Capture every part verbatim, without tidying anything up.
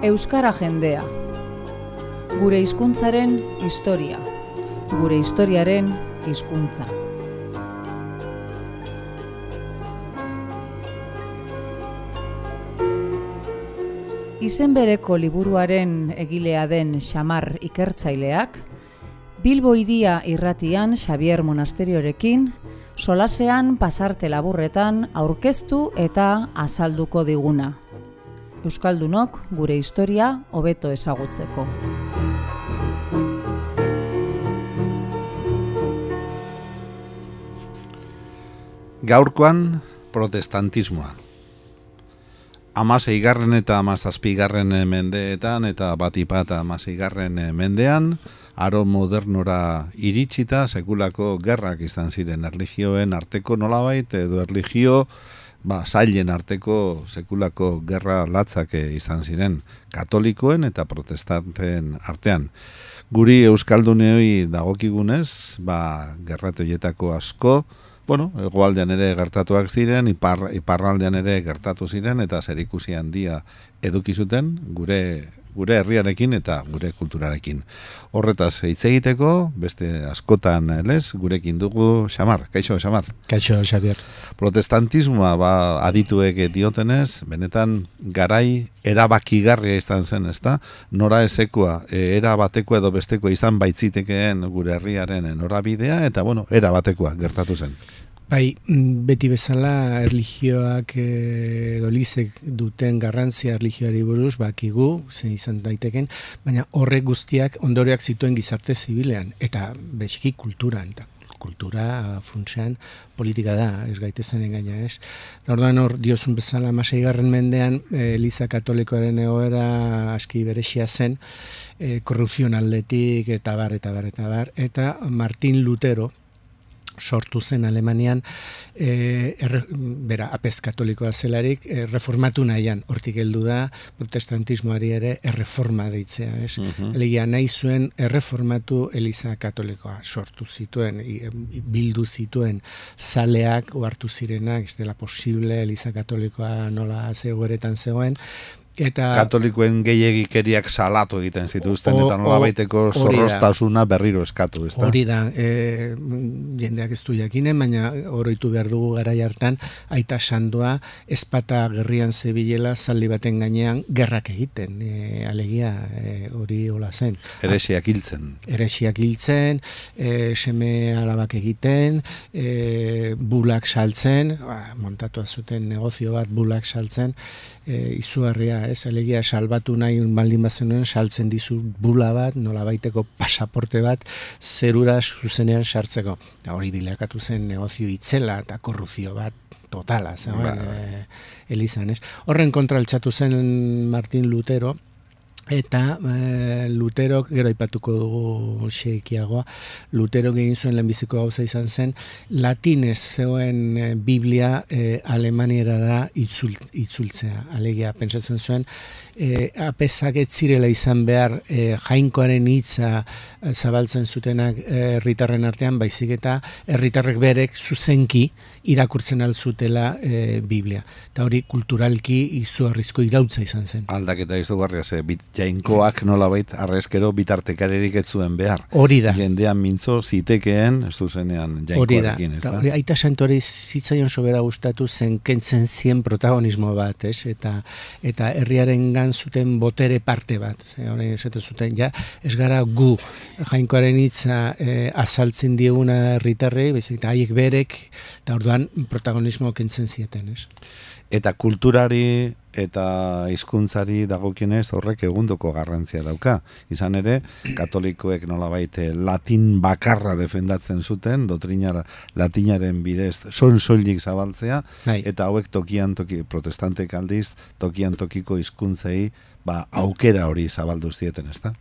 Euskara jendea. Gure hizkuntzaren historia. Gure historiaren hizkuntza. Izen bereko liburuaren egilea den Xamar ikertzaileak, Bilbo Hiria irratian Xabier Monasteriorekin, solasean pasarte laburretan aurkeztu eta azalduko diguna. Euskaldunok gure historia hobeto ezagutzeko. Gaurkoan protestantismoa. Hamaseigarren eta hamazazpigarren mendeetan eta batipat hamaseigarren mendean, aro modernora iritsita sekulako gerrak izan ziren erlijioen arteko nolabait edo erlijio ba, zailen arteko sekulako gerra latzak izan ziren katolikoen eta protestanten artean. Guri euskalduneoi dagokigunez, ba, gerratoietako asko, bueno, hegoaldean ere gertatuak ziren, ipar, iparraldean ere gertatu ziren, eta zerikusi handia eduki zuten gure, gure herriarekin eta gure kulturarekin. Horretaz hitz egiteko, beste askotan lez, gurekin dugu Xamar. Kaixo, Xamar? Kaixo, Xabier. Protestantismoa ba, adituek diotenez, benetan garai erabakigarria izan zen, ezta? Nora ezekoa, era batekoa edo bestekoa izan baitzitekeen gure herriaren norabidea, eta bueno, era batekoa gertatu zen. Bai, beti bezala erlijioak edo lizek duten garrantzia erlijioari buruz bakigu, zen izan daiteken, baina horrek guztiak ondorioak zituen gizarte zibilean, eta beziki kulturan, eta kultura funtsean politika da, ez gaitezen engaina, ez? Orduan hor, diozun bezala hamaseigarren mendean, Eliza Katolikoaren egoera aski berexia zen, e, korrupzion aldetik, eta bar, eta bar, eta bar, eta Martin Lutero, sortu zen Alemanian, e, erre, bera, apez katolikoa zelarik, e, reformatu nahian, hortik heldu da, protestantismoari ere erreforma deitzea, ez? Uh-huh. Elegia nahi zuen erreformatu Eliza Katolikoa sortu zituen, bildu zituen zaleak, ohartu zirenak, ez dela posible Eliza Katolikoa nola zegoeretan zegoen, eta katolikoen gehiegikeriak salatu egiten zituzten, eta nolabaiteko zorroztasuna berriro eskatu, ezta? Hori da, e, jendeak ez du jakinen, baina oroitu behar dugu garai hartan, aita sandoa ezpata gerrian zebilela zaldi baten gainean gerrak egiten, e, alegia e, hori hola zen. Heresiak hiltzen. Heresiak hiltzen, e, seme alabak egiten, e, bulak saltzen, ba, montatu zuten negozio bat bulak saltzen, e, izugarria, ez, alegia salbatu nahi baldin bazenuen saltzen dizu bula bat, nolabaiteko pasaporte bat zerura zuzenean sartzeko. Eta hori bilakatu zen negozio itzela eta korrupzio bat totala, zegoen e, Elizan, ez. Horren kontra altxatu zen Martin Lutero, eta e, Lutero, gero aipatuko dugu xeikiagoa, Lutero egin zuen lehenbiziko gauza izan zen, latinez zegoen e, Biblia e, Alemaniera itzul, itzultzea. Alegia, pentsatzen zuen, e, apezak ez zirela izan behar e, jainkoaren hitza e, zabaltzen zutenak herritarren artean, baizik eta herritarrek berek zuzenki irakurtzen alzutela e, Biblia. Eta hori kulturalki izugarrizko irautza izan zen. Aldaketa izugarria ze, bit, jainkoak nolabait arrezkero bitartekarerik ez zuen behar. Hori da. Jendean mintzo zitekeen, ez duzenean jainkoarekin, ez da? Hori da. Aita santori zitzaion sobera gustatu zen kentzen zien protagonismo bat, ez? Eta, eta herriaren gan zuten botere parte bat. Ze, hori esate zuten, ja, ez gara gu jainkoaren hitza e, azaltzen dieguna herritarrei, baizik eta haiek berek, eta orduan protagonismo kentzen zieten, ez? Eta kulturari eta hizkuntzari dagokionez horrek egundoko garrantzia dauka. Izan ere, katolikoek nolabait latin bakarra defendatzen zuten, dotrina latinaren bidez son soilik zabaltzea, Hai. Eta hauek tokian toki, protestantek aldiz, tokian tokiko hizkuntzei ba, aukera hori zabaldu zieten, ezta?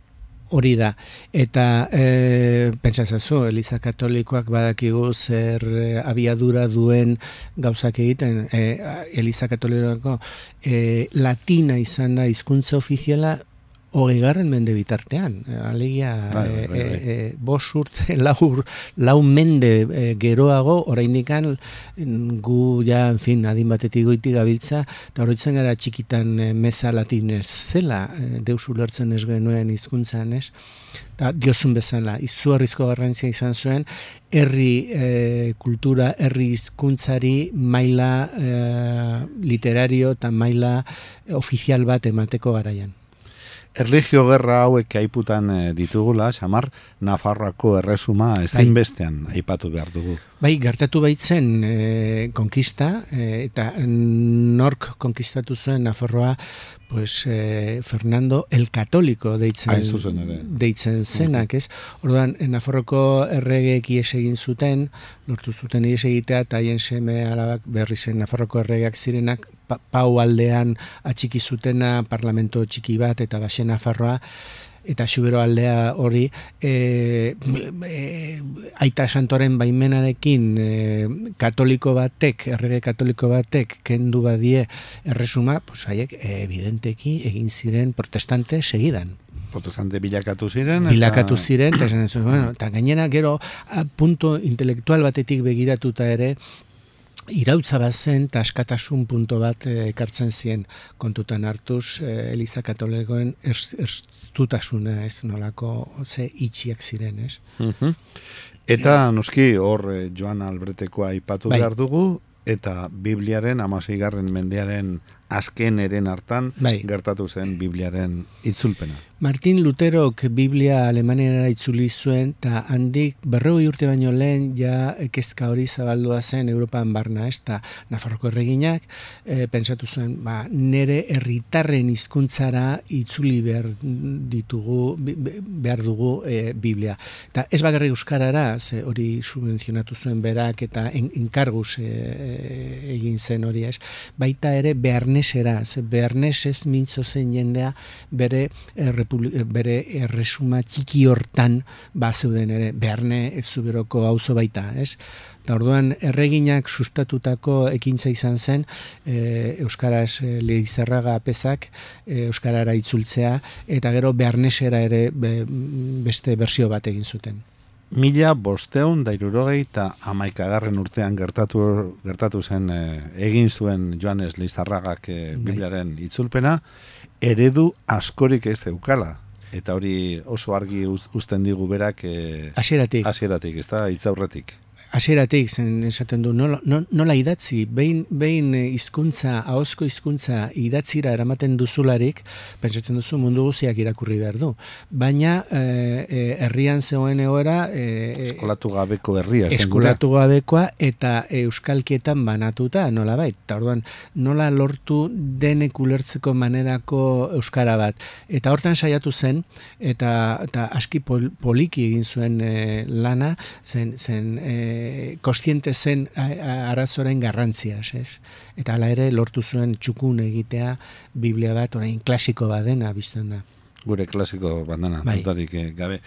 Hori da, eta e, pentsazazu, Eliza Katolikoak badakigu zer e, abiadura duen gauzak egiten, e, Eliza Katolikoako e, latina izan da hizkuntza ofiziala hogeigarren mende bitartean. Alegia, bai, bai, bai. e, e, bos urte, lau, lau mende e, geroago, oraindikan gu, ja, en fin, adin batetik goitik gabiltza, eta horretzen gara txikitan e, meza latinez zela, e, deus ulertzen ez genuen hizkuntzan, ez? Eta diozun bezala, izugarrizko garrantzia izan zuen, herri e, kultura, herri hizkuntzari maila e, literario eta maila ofizial bat emateko garaian. Erlijio gerra hauek aiputan ditugula, Xamar, Nafarroako erresuma ezinbestean aipatu behar dugu. Bai, gertatu baitzen e, konkista, e, eta nork konkistatu zuen Nafarroa, pues, e, Fernando el Católico deitzen, deitzen zenak, ez? Orduan, Nafarroko erregeek ies egin zuten, lortu zuten ies egitea, eta haien seme alabak berri zen Nafarroko erregeak zirenak, pa, Pau aldean atxiki zutena, parlamento txiki bat, eta Baxe Nafarroa, eta Xubero aldea hori, e, e, Aita Santoren baimenarekin e, katoliko batek, errege katoliko batek kendu badie erresuma, pues haiek evidenteki egin ziren protestante segidan. Protestante bilakatu ziren. Bilakatu eta... ziren, eta esan zuen, bueno, eta gainera gero a, punto intelektual batetik begiratuta ere, irautza bat zen eta askatasun punto bat ekartzen zien kontutan hartuz e, Eliza Katolikoen erstutasuna, ez nolako ze itxiak ziren, ez? Uh-huh. Eta noski hor Joan Albretekoa aipatu bai. Behar dugu, eta Bibliaren hamaseigarren mendearen azken eren hartan bai. Gertatu zen Bibliaren itzulpena. Martin Luterok Biblia Alemaniara itzuli zuen, eta handik berrogei urte baino lehen ja kezka hori zabaldua zen Europan barna, ez da Nafarroko erreginak, e, pentsatu zuen, ba, nere herritarren hizkuntzara itzuli behar ditugu, behar dugu e, Biblia. Eta ez bakarrik euskarara, ze hori subvenzionatu zuen berak, eta en, enkarguz e, e, egin zen hori, ez, baita ere bearnesera, ze bearnesez mintzo zen jendea bere errepublikaren bere erresuma txiki hortan ba zeuden ere Bearne Zuberoko auzo baita, ez? Eta orduan erreginak sustatutako ekintza izan zen e, euskaraz e, Leizarraga apezak e, euskarara itzultzea, eta gero Bearnesera ere be, beste bersio bat egin zuten. Mila bosteun da hirurogei eta hamaikagarren urtean gertatu gertatu zen e, egin zuen Joanes Leizarragak e, Bibliaren itzulpena, eredu askorik ez deukala. Eta hori oso argi uzten digu berak e, hasieratik. Hasieratik, ez da, hitzaurretik. Hasieratik zen esaten du, nola, nola idatzi, behin, behin hizkuntza, ahozko hizkuntza idatzira eramaten duzularik, pentsatzen duzu mundu guziak irakurri behar du. Baina e, herrian zegoen egoera... E, eskolatu gabeko herria. Eskolatu gabekoa eta euskalkietan banatuta, nola bait. Eta orduan, nola lortu denek ulertzeko manerako euskara bat. Eta hortan saiatu zen, eta, eta aski pol, poliki egin zuen e, lana, zen... zen e, kostiente zen arazoren garrantziaz, ez? Eta hala ere lortu zuen txukun egitea Biblia bat orain klasiko badena biztan da. Gure klasiko bandana, bai. Dutarik gabe.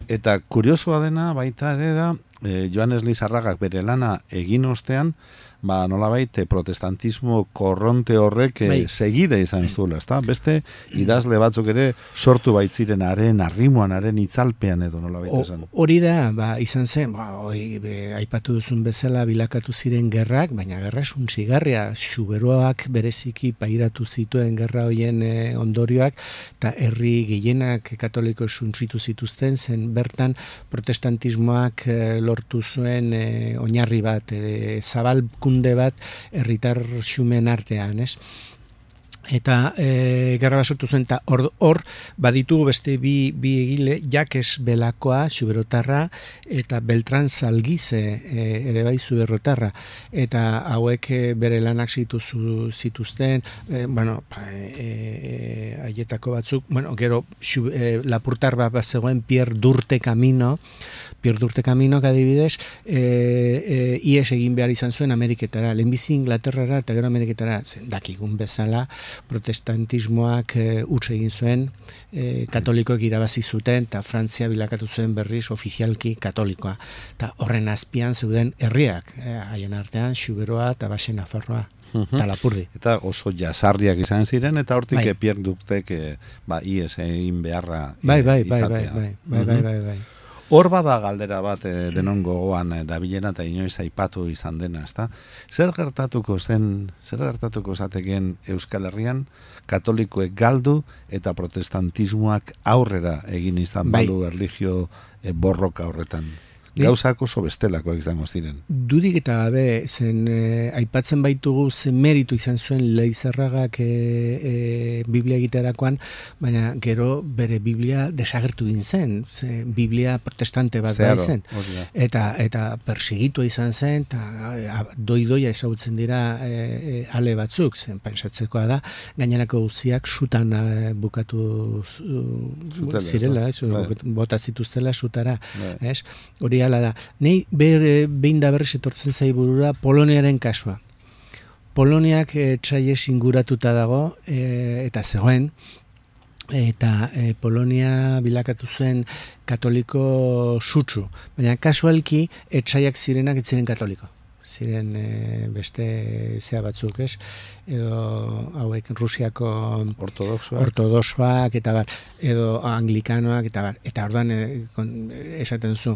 Eta kuriosoa dena baita ere da, eh, Joanes Leizarragak bere lana egin ostean, ba, nolabait protestantismo korronte horrek bai. Segide izan zuela, ezta? Beste idazle batzuk ere sortu baitziren haren arrimoan, haren itzalpean edo nolabait esan. Hori da, ba, izan zen, ba, oi, be, aipatu duzun bezala bilakatu ziren gerrak, baina gerra suntsigarria, Xuberoak bereziki pairatu zituen gerra hoien e, ondorioak, eta herri gehienak katoliko suntsitu zituzten, zen bertan protestantismoak e, lortu zuen e, oinarri bat, e, zabalkunde bat herritar xumen artean, ez? Eta e, gerra sortu zen, eta hor, hor baditugu beste bi, bi egile, Jakes Belakoa, Xuberotarra, eta Beltran Zalgize e, ere bai Zuberrotarra, eta hauek e, bere lanak zituzu, zituzten, e, bueno, haietako e, e, batzuk, bueno, gero xu, e, Lapurtar bat bat zegoen Pierre Durte Camino, Pierre Durte Camino, adibidez, e, e, ies egin behar izan zuen Ameriketara, lehenbizi Inglaterrara eta gero Ameriketara, zen dakigun bezala, protestantismoak e, utz egin zuen, e, katolikoek irabazi zuten, eta Frantzia bilakatu zuen berriz ofizialki katolikoa. Eta horren azpian zeuden herriak, e, haien artean, Xuberoa eta Baxe Nafarroa. Eta Lapurdi. Eta oso jasarriak izan ziren, eta hortik bai. Pierre Duktek e, ba, ies egin beharra e, bai, bai, bai, izatea. bai, bai, bai, bai, bai. Hor bada galdera bat e, denon gogoan e, dabilena eta inoiz aipatu izan dena, ezta? Zer gertatuko zen, zer gertatuko zateken Euskal Herrian katolikoek galdu eta protestantismoak aurrera egin izan bai. balu erlijio e, borroka horretan? Gauzak oso bestelakoak izango ziren. Dudik eta gabe, zen eh, aipatzen baitugu zen meritu izan zuen Leizerragak eh, eh, Biblia egiterakoan, baina gero bere Biblia desagertu egin zen, ze Biblia protestante bat da zen. Eta, eta persigitua izan zen, eta doi-doia ezagutzen dira eh, ale batzuk, zen pensatzekoa da, gainerako guztiak sutan eh, bukatu Zutela, zirela, ez, bota zituztela sutara, ez? Hori ala da. Nei ber, behin da berriz etortzen zai burura Poloniaren kasua. Poloniak etxaiez inguratuta dago e, eta zegoen, eta e, Polonia bilakatu zuen katoliko sutsu. Baina kasualki etxaiak zirenak ez ziren katoliko. Ziren e, beste zea batzuk, ez? Edo hauek Rusiako ortodoxoak, ortodoxoak eta bar, edo anglikanoak eta bar. Eta orduan e, esaten zu,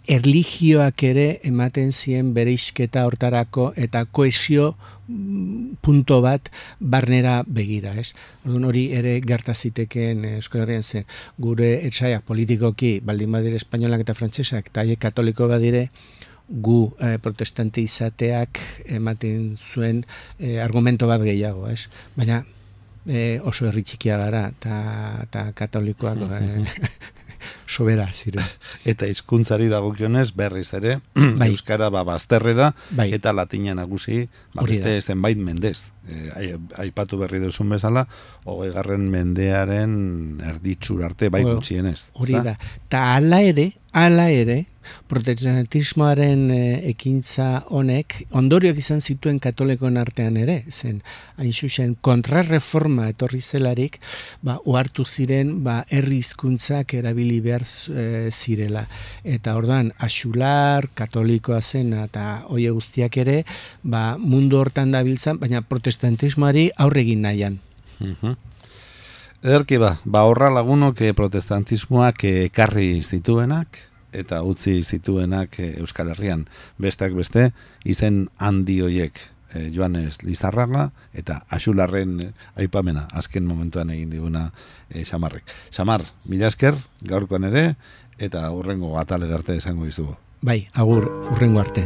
erlijioak ere ematen zien bereizketa hortarako eta koesio punto bat barnera begira, ez? Orduan hori ere gerta zitekeen Euskal Herrian zen. Gure etxaiak politikoki baldin badire espainolak eta frantsesak eta haiek katoliko badire, gu eh, protestante izateak ematen zuen eh, argumento bat gehiago, ez? Baina eh, oso herri txikia gara eta katolikoak eh, sobera ziren. Eta hizkuntzari dagokionez berriz ere bai. Euskara ba bazterrera bai. Eta latina nagusi ba beste zenbait mendez. E, aipatu berri duzun bezala, hogeigarren mendearen erditsur arte bai gutxienez. Hori da. Ta hala ere, hala ere, protestantismoaren e, ekintza honek ondorioak izan zituen katolikoen artean ere, zen hain zuzen kontrarreforma etorri zelarik, ba ohartu ziren ba herri hizkuntzak erabili behar e, zirela. Eta orduan axular katolikoa zen eta hoe guztiak ere, ba mundu hortan dabiltzan, baina protestantismoari aurre egin nahian. Uh-huh. Ederki ba, ba horra lagunok protestantismoak ekarri zituenak, eta utzi zituenak Euskal Herrian. Besteak beste, izen handi hoiek e, Joanes Lizarraga eta Axularren aipamena, azken momentuan egin diguna e, Xamarrek. Xamar, mila esker, gaurkoan ere, eta hurrengo atalera arte esango dizugu. Bai, agur, hurrengo arte.